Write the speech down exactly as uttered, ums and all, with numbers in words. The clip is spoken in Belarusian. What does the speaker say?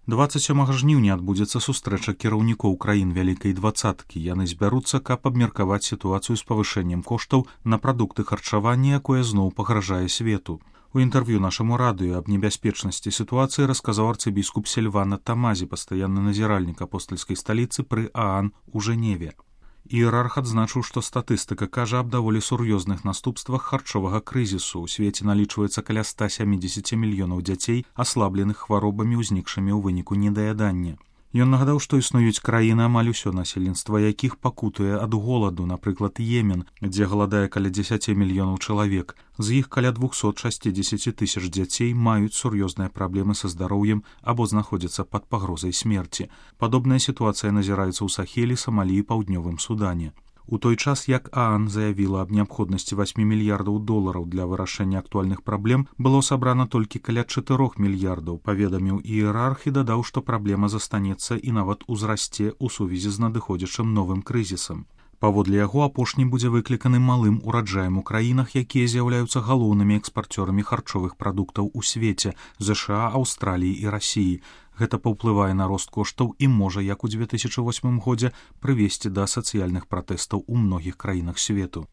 дваццаць сёмага жніўня адбудзецца сустрэча кіраўнікоў краін вялікай дваццаткі. Яны збяруцца, каб абмеркаваць сітуацыю з павышэннем коштаў на прадукты харчавання, якое зноў пагражае свету. У інтэрв'ю нашаму радыё аб небяспечнасці сітуацыі расказаў арцыбіскуп Сільвана Тамазі, пастаянны назіральнік апостальскай сталіцы пры ААН у Жэневе. Іерарх адзначыў, што статыстыка кажа аб даволі сур'ёзных наступствах харчовага крызісу. У свеце налічваецца каля ста сямідзесяці мільёнаў дзяцей, аслабленых хваробамі, узнікшымі ў выніку недаядання. Ён нагадаў, што існуюць краіны, амаль усё насельніцтва якіх пакутуе ад голаду, напрыклад, Йемен, дзе галадае каля дзесяці мільёнаў чалавек. З іх каля двухсот шасцідзесяці тысяч дзяцей маюць сур'ёзныя праблемы са здароўем або знаходзяцца пад пагрозай смерці. Падобная сітуацыя назіраецца ў Сахелі, Самалі і Паўднёвым Судане. У той час, як ААН заявіла аб неабходнасці васьмі мільярдаў долараў для вырашэння актуальных праблем, было сабрана толькі каля чатырох мільярдаў, паведаміў іерарх і дадаў, што праблема застанецца і нават узрасце ў сувязі з надыходзячым новым крызісам. Паводле яго, апошні будзе выкліканы малым ураджаем у краінах, якія з'яўляюцца галоўнымі экспарцёрамі харчовых прадуктаў у свеце – ЗША, Аўстраліі і Расіі. Гэта паўплывае на рост коштаў і можа, як у дзве тысячы восьмым годзе, прывесці да сацыяльных пратэстаў у многіх краінах свету.